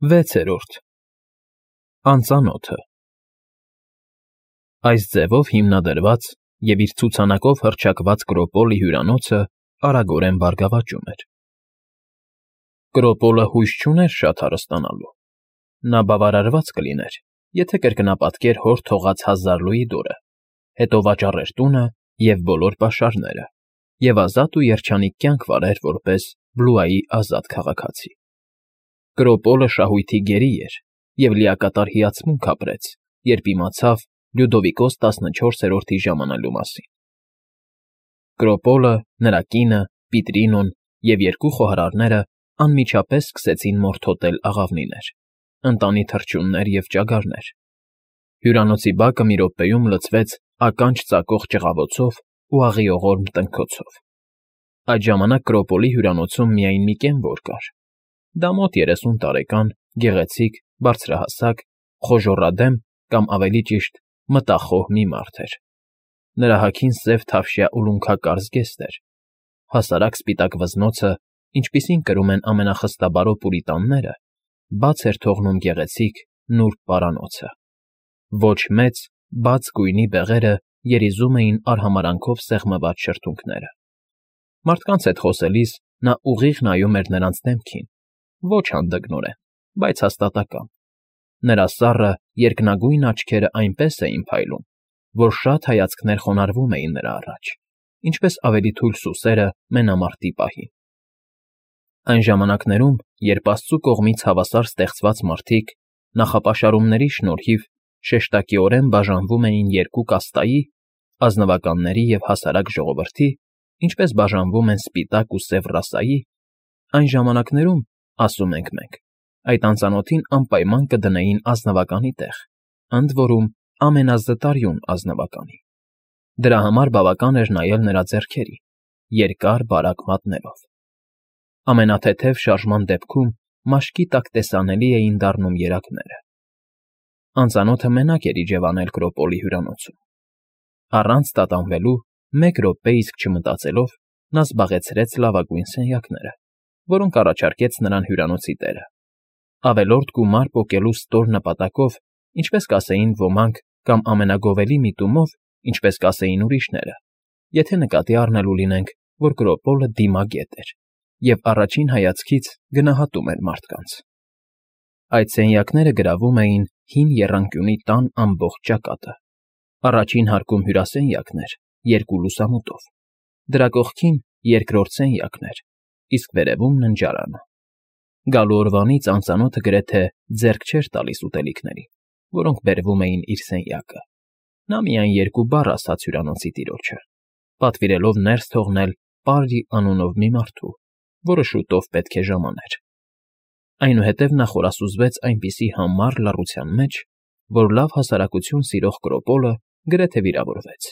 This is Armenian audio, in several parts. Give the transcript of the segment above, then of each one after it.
6-րդ Անծանոթը Այս ձևով հիմնադրված և իր ցուցանակով հռչակված Կրոպոլի հյուրանոցը արագորեն բարգավաճում էր։ Կրոպոլը հույս չուներ շատ հարստանալու։ Նա բավարարված կլիներ, եթե կրկնապատկեր հոր թողած 1000 լուիդորը, հետո վաճառեր տունը և բոլոր պաշարները և ազատ ու երջանիկ կյանք վարեր որպես Բլուայի ազատ քաղաքացի։ Կրոպոլը շահույթի գերի էր և լիակատար հիացմունք ապրեց, երբ իմացավ Լյուդովիկոս 14-րդի ժամանելու մասին։ Կրոպոլը, նրա կինը, Պիտրինոն և երկու խոհարարները անմիջապես սկսեցին մորթոտել աղավնիներ, ընտանի թռչուններ և ճագարներ։ Հյուրանոցի բակը մի րոպեում լցվեց ականջ ծակող ճղավոցով ու աղիողորմ տնքոցով։ Այդ ժամանակ Կրոպոլի հյուրանոցում միայն մի կենվոր կար։ Դա մոտ 30 տարեկան, գեղեցիկ, բարձրահասակ, խոժոռադեմ կամ ավելի ճիշտ մտախոհ մի մարդ էր։ Նրա հագին սև թավշյա ուլունքակար զգեստ էր։ Հասարակ սպիտակ վզնոցը, ինչպիսին կրում են ամենախստաբարո պուրիտանները, բաց էր թողնում գեղեցիկ, նուրբ պարանոցը։ Ոչ մեծ, բաց գույնի բեղերը երիզում էին արհամարհանքով սեղմված շրթունքները։ Մարդկանց հետ խոսելիս նա ուղիղ նայում էր նրանց դեմքին, ոչ հանդգնորեն, բայց հաստատակամ։ Նրա սառը, երկնագույն աչքերը այնպես էին փայլում, որ շատ հայացքներ խոնարհվում էին նրա առաջ, ինչպես ավելի թույլ սուսերը մենամարտի պահին։ Այն ժամանակներում, երբ Աստծու կողմից հավասար ստեղծված մարդիկ նախապաշարումների շնորհիվ շեշտակիորեն բաժանվում էին երկու կաստայի՝ ազնվականների և հասարակ ժողովրդի, ինչպես բաժանվում են սպիտակ ու սև ռասայի, այն ժամանակներում, ասում ենք մենք, այդ անծանոթին անպայման կդնեին ազնվականի տեղ, ընդ որում ամենազտարյուն ազնվականի։ Դրա համար բավական էր նայել նրա ձեռքերին, երկար բարակ մատներով։ Ամենաթեթև շարժման դեպքում մաշկի տակ տեսանելի էին դառնում երակները։ Անծանոթը մենակ էր իջևանել Կրոպոլի հյուրանոցում։ Առանց տատանվելու, մեկ րոպե իսկ չմտածելով, նա զբաղեցրեց լավագույն սենյակները, որոնք առաջարկեց նրան հյուրանոցի տերը։ Ավելորդ գումար պոկելու ստոր նպատակով, ինչպես կասեին ոմանք, կամ ամենագովելի միտումով, ինչպես կասեին ուրիշները, եթե նկատի առնելու լինենք, որ Կրոպոլը դիմագետ էր և առաջին հայացքից գնահատում էր մարդկանց։ Այդ սենյակները գրավում էին հին եռանկյունի տան ամբողջ ճակատը։ Առաջին հարկում հյուրասենյակն էր, երկու լուսամուտով, դրա կողքին երկրորդ սենյակն էր, իսկ վերևում ննջարանը։ Գալու օրվանից անծանոթը գրեթե ձեռք չէր տալիս ուտելիքներին, որոնք բերվում էին իր սենյակը։ Նա միայն երկու բառ ասաց հյուրանոցի տիրոջը, պատվիրելով ներս թողնել Պարրի անունով մի մարդու, որը շուտով պետք է ժամաներ։ Այնուհետև նա խորասուզվեց այնպիսի համառ լռության մեջ, որ լավ հասարակություն սիրող Կրոպոլը գրեթե վիրավորվեց։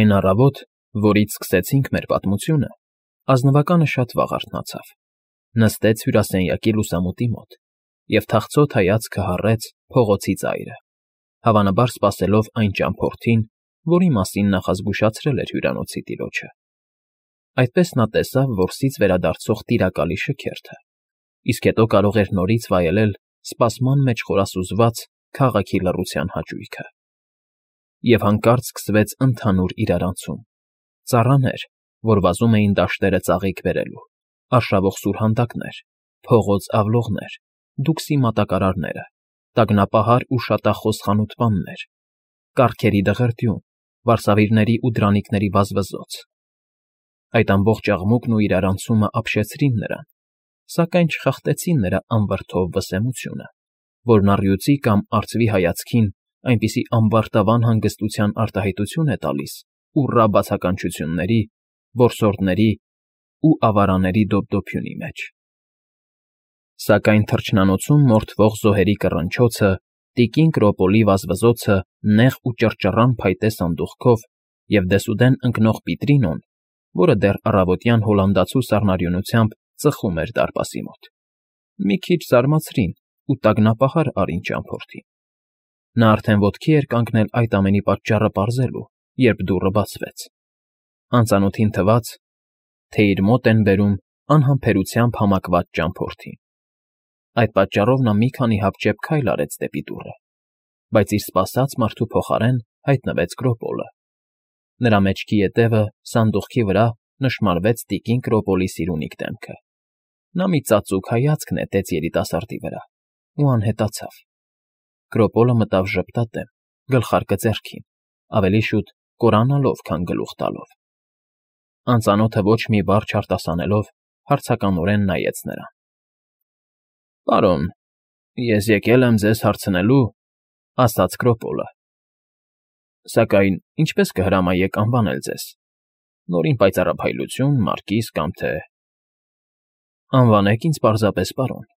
Այն առավոտ, որից սկսեցինք մեր պատմությունը, ազնվականը շատ վաղ արթնացավ, նստեց հյուրասենյակի լուսամուտի մոտ և թախծոտ հայացքը հառեց փողոցի ծայրը, հավանաբար սպասելով այն ճամփորդին, որի մասին նախազգուշացրել էր հյուրանոցի տիրոջը։ Այդպես նա տեսավ որսից վերադարձող տիրակալի շքերթը, իսկ հետո կարող էր նորից վայելել սպասման մեջ խորասուզված քաղաքի լռության հաճույքը։ Եվ հանկարծ սկսվեց ընդհանուր իրարանցում։ Ծառաներ, որ վազում էին դաշտերը ծաղիկ բերելու, արշավող սուրհանդակներ, փողոց ավլողներ, դուքսի մատակարարները, տագնապահար ու շատախոս խանութպաններ, կառքերի դղրդյուն, վարսավիրների ու դրանիկների վազվզոց։ Այդ ամբողջ աղմուկն ու իրարանցումը ապշեցրին նրան, սակայն չխախտեցին նրա անվրդով վսեմությունը, որն առյուծի կամ արծվի հայացքին այնպիսի ամբարտավան հանգստության արտահայտություն է տալիս ուռա բացականչությունների, որսորդների ու ավարանների դոպդոփյունի մեջ։ Սակայն թռչնանոցում մորթվող զոհերի կռնչոցը, տիկին Կրոպոլի վազվզոցը նեղ ու ճռճռան փայտե սանդուղքով և դեսուդեն ընկնող Պիտրինոն, որը դեռ առավոտյան հոլանդացու սառնարյունությամբ ծխում էր դարպասի մոտ, մի քիչ զարմացրին ու տագնապահար արին ճամփորդին։ Նա արդեն ոտքի էր կանգնել այդ ամենի պատճառը պարզելու, երբ դուռը բացվեց։ Անծանոթին թվաց, թե իր մոտ են բերում անհամբերությամբ համակված ճամփորդին։ Այդ պատճառով նա մի քանի հապճեպ քայլ արեց դեպի դուռը, բայց իր սպասած մարդու փոխարեն հայտնվեց Կրոպոլը։ Նրա մեջքի ետևը սանդուղքի վրա նշմարվեց տիկին Կրոպոլի սիրունիկ դեմքը։ Նա մի ծածուկ հայացք նետեց երիտասարդի վրա ու անհետացավ։ Կրոպոլը մտավ ժպտատեմ, գլխարկը ձեռքին, ավելի շուտ կորանալով, քան գլուխ տալով։ Անծանոթը ոչ մի բառ չարտասանելով հարցականորեն նայեց նրան։ Պարոն, ես եկել եմ ձեզ հարցնելու, ասաց Կրոպոլը։ Սակայն ինչպես կհրամայեք անվանել ձեզ։ Նորին պայծառափայլություն, մարկիս կամ թե… Անվանեք ինձ պարզապես պարոն,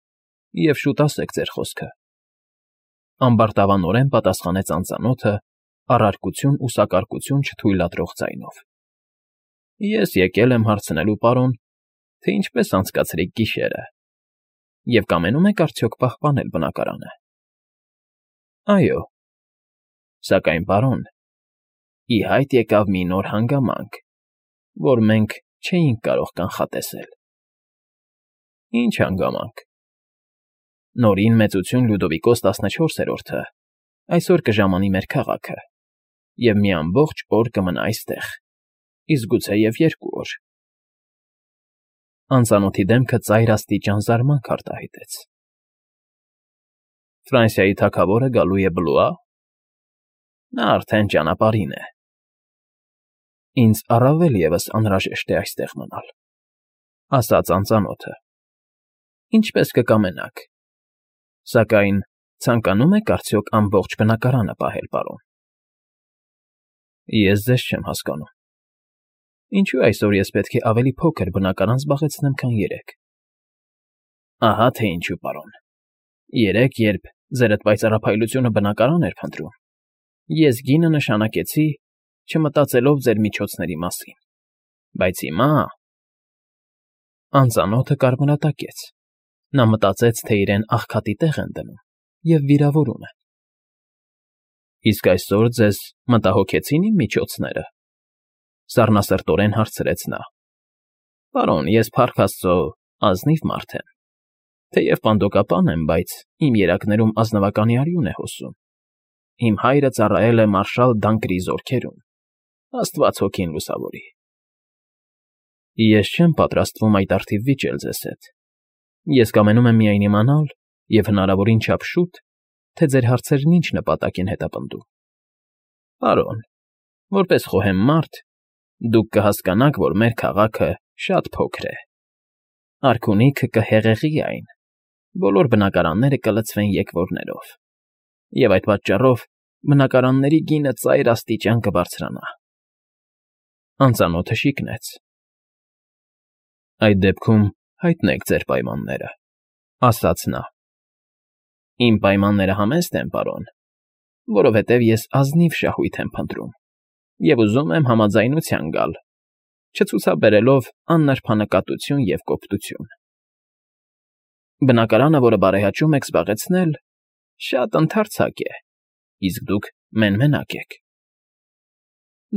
և շուտ ասեք ձեր խոսքը։ Ամբարտավանորեն պատասխանեց անծանոթը, առարկություն ու սակարկություն չթույլատրող ձայնով։ Ես եկել եմ հարցնելու, պարոն, թե ինչպես անցկացրիք գիշերը, և կամենում եք արդյոք պահպանել բնակարանը։ Այո։ Սակայն, պարոն, ի հայտ եկավ մի նոր հանգամանք, որ մենք չէինք կարող կանխատեսել։ Ինչ հանգամանք։ Նորին մեծություն Լյուդովիկոս 14-րդը այսօր կժամանի մեր քաղաքը, և մի ամբողջ օր կմնա այստեղ, իսկ գուցեև 2 օր։ Անծանոթի դեմքը ծայրաստիճան զարմանք արտահայտեց։ Ֆրանսիայի թագավորը գալու է Բլուա։ Նա արդեն ճանապարհին է։ Ինձ առավել ևս անհրաժեշտ է այստեղ մնալ, ասաց անծանոթը։ Ինչպես կկամենաք։ Սակայն ցանկանում եք արդյոք ամբողջ բնակարանը պահել, պարոն։ Ես ձեզ չեմ հասկանում։ Ինչու այսօր ես պետք է ավելի փոքր բնակարան զբաղեցնեմ, քան երեկ։ Ահա թե ինչու, պարոն։ Երեկ, երբ ձերդ պայծառափայլությունը բնակարան էր փնտրում, ես գինը նշանակեցի, չմտածելով ձեր միջոցների մասին։ Բայց հիմա… Անծանոթը կարմրատակեց։ Նա մտածեց, թե իրեն աղքատի տեղ են դնում և վիրավորում են։ Իսկ այսօր ձեզ մտահոգեցին իմ միջոցները, սառնասրտորեն հարցրեց նա։ Պարոն, ես փառք Աստծո ազնիվ մարդ եմ, թեև պանդոկապան եմ, բայց իմ երակներում ազնվականի արյուն է հոսում։ Իմ հայրը ծառայել է մարշալ Դանկրի զորքերում, Աստված հոգին լուսավորի։ Ես չեմ պատրաստվում այդ առթիվ վիճել ձեզ հետ։ Ես կամենում եմ միայն իմանալ, և հնարավորին չափ շուտ, թե ձեր հարցերն ինչ նպատակ են հետապնդում։ Պարոն, որպես խոհեմ մարդ, դուք կհասկանաք, որ մեր քաղաքը շատ փոքր է։ Արքունիքը կհեղեղի այն, բոլոր բնակարանները կլցվեն եկվորներով, և այդ պատճառով բնակարանների գինը ծայրաստիճան կբարձրանա։ Անծանոթը շիկնեց։ Այդ դեպքում հայտնեք ձեր պայմանները, ասաց նա։ Իմ պայմանները համեստ են, պարոն, որովհետև ես ազնիվ շահույթ եմ փնտրում և ուզում եմ համաձայնության գալ, չցուցաբերելով աննրբանկատություն և կոպտություն։ Բնակարանը, որը բարեհաճում եք զբաղեցնել, շատ ընդարձակ է, իսկ դուք մենմենակ եք։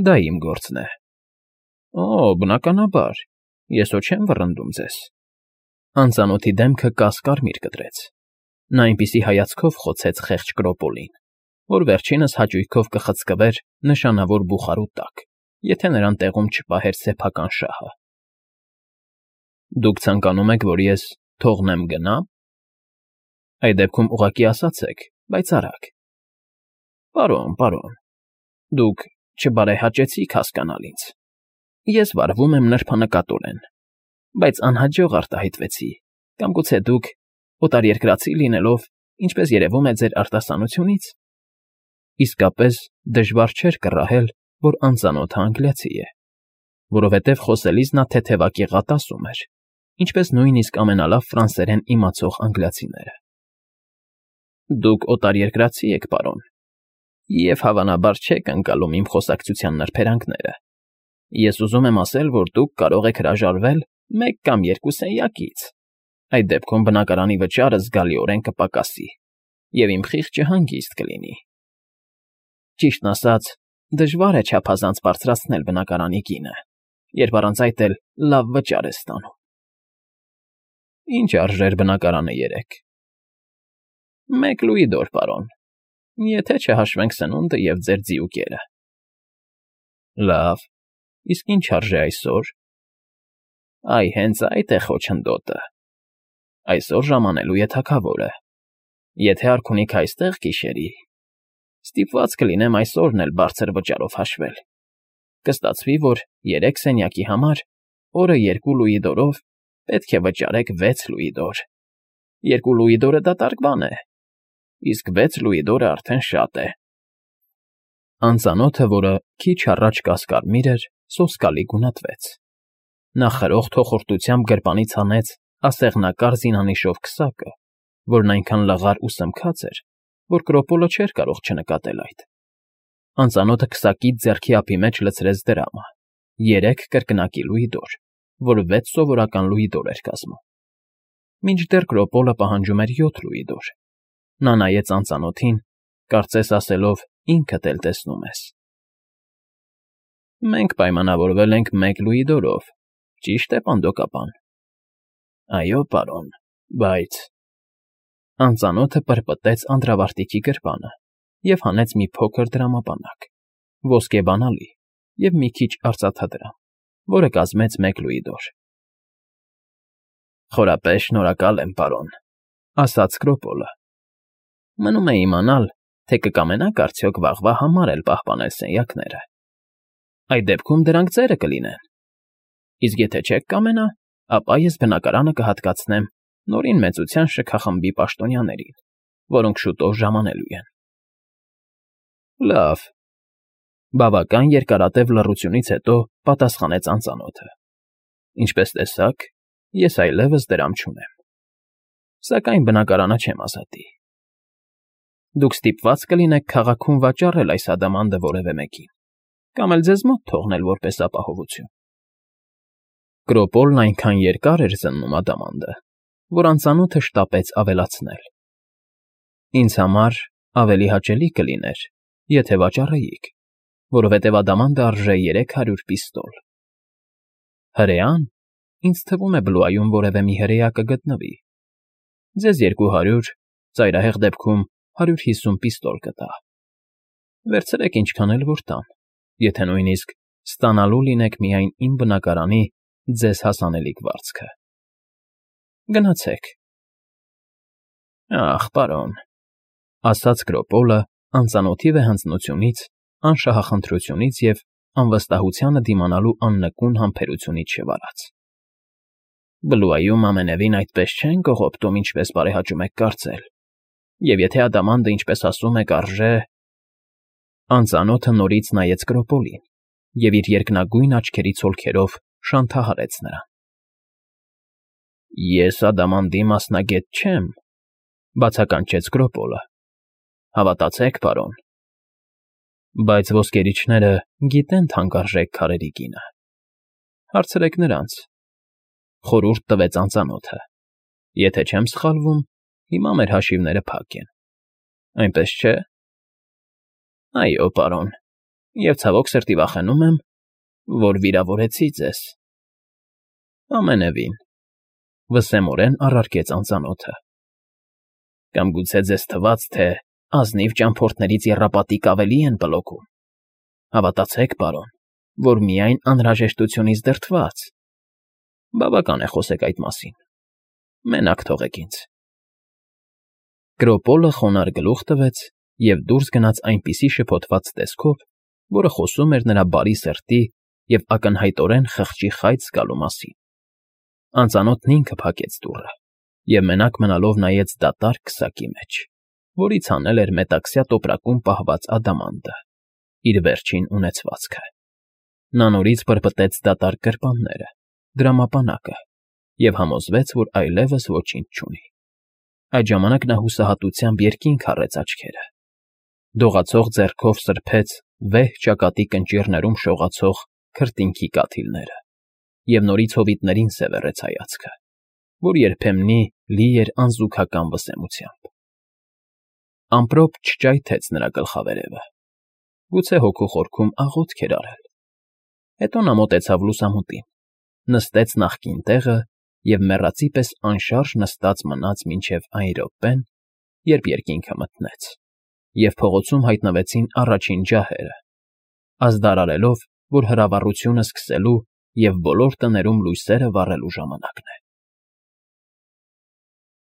Դա իմ գործն է։ Օ, բնականաբար, ես հո չեմ վռնդում ձեզ։ Անծանոթի դեմքը կաս-կարմիր կտրեց։ Նա այնպիսի հայացքով խոցեց խեղճ Կրոպոլին, որ վերջինս հաճույքով կխցկվեր նշանավոր բուխարու տակ, եթե նրան տեղում չպահեր սեփական շահը։ Դուք ցանկանում եք, որ ես թողնեմ գնամ։ Այդ դեպքում ուղղակի ասացեք, բայց արագ։ Պարոն, դուք չբարեհաճեցիք հասկանալ ինձ։ Ես վարվում եմ նրբանկատորեն, բայց անհաջող արտահայտվեցի, կամ գուցե դուք, օտարերկրացի լինելով, ինչպես երևում է ձեր արտասանությունից, իսկապես դժվար չէր կռահել, որ անծանոթը անգլիացի է, որովհետև խոսելիս նա թեթևակեղատ ասում էր, ինչպես նույնիսկ ամենալավ ֆրանսերեն իմացող անգլիացիները։ Դուք օտարերկրացի եք, պարոն, և հավանաբար չեք ընկալում իմ խոսակցության նրբերանգները։ Ես ուզում եմ ասել, որ դուք կարող եք հրաժարվել 1 կամ 2 սենյակից։ Այդ դեպքում բնակարանի վճարը զգալիորեն կպակասի, և իմ խիղճը հանգիստ կլինի։ Ճիշտն ասած, դժվար է չափազանց բարձրացնել բնակարանի գինը, երբ առանց այդ էլ լավ վճար է ստանում։ Ինչ արժեր բնակարանը երեկ։ Մեկ լուիդոր, պարոն, եթե չհաշվենք սնունդը և ձեր ձիուկերը։ Լավ, իսկ ինչ արժե այսօր։ Այ հենց այդ է խոչընդոտը։ Այսօր ժամանելու է թագավորը։ Եթե արքունիք այստեղ գիշերի, ստիպված կլինեմ այսօրն էլ բարձր վճարով հաշվել։ Կստացվի, որ 3 սենյակի համար օրը 2 լուիդորով պետք է վճարեք 6 լուիդոր։ 2 լուիդորը դատարկ բան է, իսկ 6 լուիդորը արդեն շատ է։ Անծանոթը, որը քիչ առաջ կասկարմիր էր, սոսկալի գունատվեց։ Նա խրող թոխորտությամբ գրպանից հանեց ասեղնակար զինանիշով քսակը, որն այնքան լղար ու սմքած էր, որ Կրոպոլը չէր կարող չնկատել այդ։ Անծանոթը քսակից ձեռքի ափի մեջ լցրեց դրամը, 3 կրկնակի լուիդոր, որ 6 սովորական լուիդոր էր կազմում։ Մինչդեռ Կրոպոլը պահանջում էր 7 լուիդոր։ Նա նայեց անծանոթին, կարծես ասելով ինքդ էլ տեսնում ես։ Մենք պայմանավորվել ենք 1 լուիդորով, ճիշտ է, պանդոկապան։ Այո, պարոն, բայց… Անծանոթը պրպտեց անդրավարտիքի գրպանը և հանեց մի փոքր դրամապանակ, ոսկեբանալի և մի քիչ արծաթադրամ, որը կազմեց 1 լուիդոր։ Խորապես շնորհակալ եմ, պարոն, ասաց Կրոպոլը։ Մնում է իմանալ, թե կկամենաք արդյոք վաղվա համար էլ պահպանել սենյակները։ Այդ դեպքում դրանք ձերը կլինեն։ Իսկ եթե չեք կամենա, ապա ես բնակարանը կհատկացնեմ նորին մեծության շքախմբի պաշտոնյաներին, որոնք շուտով ժամանելու են։ Լավ, բավական երկարատև լռությունից հետո պատասխանեց անծանոթը։ Ինչպես տեսաք, ես այլևս դրամ չունեմ։ Սակայն բնակարանը չեմ ազատի։ Դուք ստիպված կլինեք քաղաքում վաճառել այս ադամանդը որևէ մեկին, կամ էլ ձեզ մոտ թողնել որպես ապահովություն։ Կրոպոլն այնքան երկար էր զննում ադամանդը, որ անծանոթը շտապեց ավելացնել։ Ինձ համար ավելի հաճելի կլիներ, եթե վաճառեիք, որովհետև ադամանդը արժե 300 պիստոլ։ Հրեան, ինձ թվում է Բլուայում որևէ մի հրեա կգտնվի։ Ձեզ 200, ծայրահեղ դեպքում 150 պիստոլ կտա։ Վերցրեք ինչքան էլ որ տան, եթե նույնիսկ ստանալու լինեք միայն իմ բնակարանի ձեզ հասանելիք վարձքը։ Գնացեք։ Ախ, պարոն, ասաց Կրոպոլը անծանոթի վեհանձնությունից, անշահախնդրությունից և անվստահությանը դիմանալու աննկուն համբերությունից շվարած։ Բլուայում ամենևին այդպես չեն կողոպտում, ինչպես բարեհաճում եք կարծել, և եթե ադամանդը, ինչպես ասում եք, արժե… Անծանոթը նորից նայեց Կրոպոլին և իր երկնագույն աչքերի ցոլքերով շանթահարեց նրան։ Ես ադամանդի մասնագետ չեմ, բացականչեց Կրոպոլը։ Հավատացեք, պարոն։ Բայց ոսկերիչները գիտեն թանկարժեք քարերի գինը։ Հարցրեք նրանց, խորհուրդ տվեց անծանոթը։ Եթե չեմ սխալվում, հիմա մեր հաշիվները փակ են։ Այնպես չէ։ Այո, պարոն, և ցավոք սրտի վախենում եմ, որ վիրավորեցի ձեզ։ Ամենևին, վսեմորեն առարկեց անծանոթը։ Կամ գուցե ձեզ թվաց, թե ազնիվ ճամփորդներից եռապատիկ ավելի են բլոքում։ Հավատացեք, պարոն, որ միայն անհրաժեշտությունից դրդված։ Բավական է խոսեք այդ մասին։ Մենակ թողեք ինձ։ Կրոպոլը խոնարհ գլուխ տվեց և դուրս գնաց այնպիսի շփոթված տեսքով, որը խոսում էր նրա բարի սրտի և ակնհայտորեն խղճի խայծ զգալու մասին։ Անծանոթն ինքը փակեց դուռը և մենակ մնալով նայեց դատարկ քսակի մեջ, որից հանել էր մետաքսյա տոպրակում պահված ադամանդը, իր վերջին ունեցվածքը։ Նա նորից պրպտեց դատարկ գրպանները, դրամապանակը և համոզվեց, որ այլևս ոչինչ չունի։ Այդ ժամանակ նա հուսահատությամբ երկինք առեց աչքերը։ Դողացող ձեռքով սրբեց վեհ ճակատի կնճիռներում շողացող քրտինքի կաթիլները և նորից հովիտներին սևեռեց հայացքը, որ երբեմնի լի էր անզուգական վսեմությամբ։ Ամպրոպ չճայթեց նրա գլխավերևը։ Գուցե հոգու խորքում աղոթք էր արել։ Հետո նա մոտեցավ լուսամուտին, նստեց նախկին տեղը և մեռածի պես անշարժ նստած մնաց մինչև այն րոպեն, երբ երկինքը մթնեց, և փողոցում հայտնվեցին առաջին ջահերը, ազդարարելով, որ հրավառությունը սկսելու և բոլոր տներում լույսերը վառելու ժամանակն է։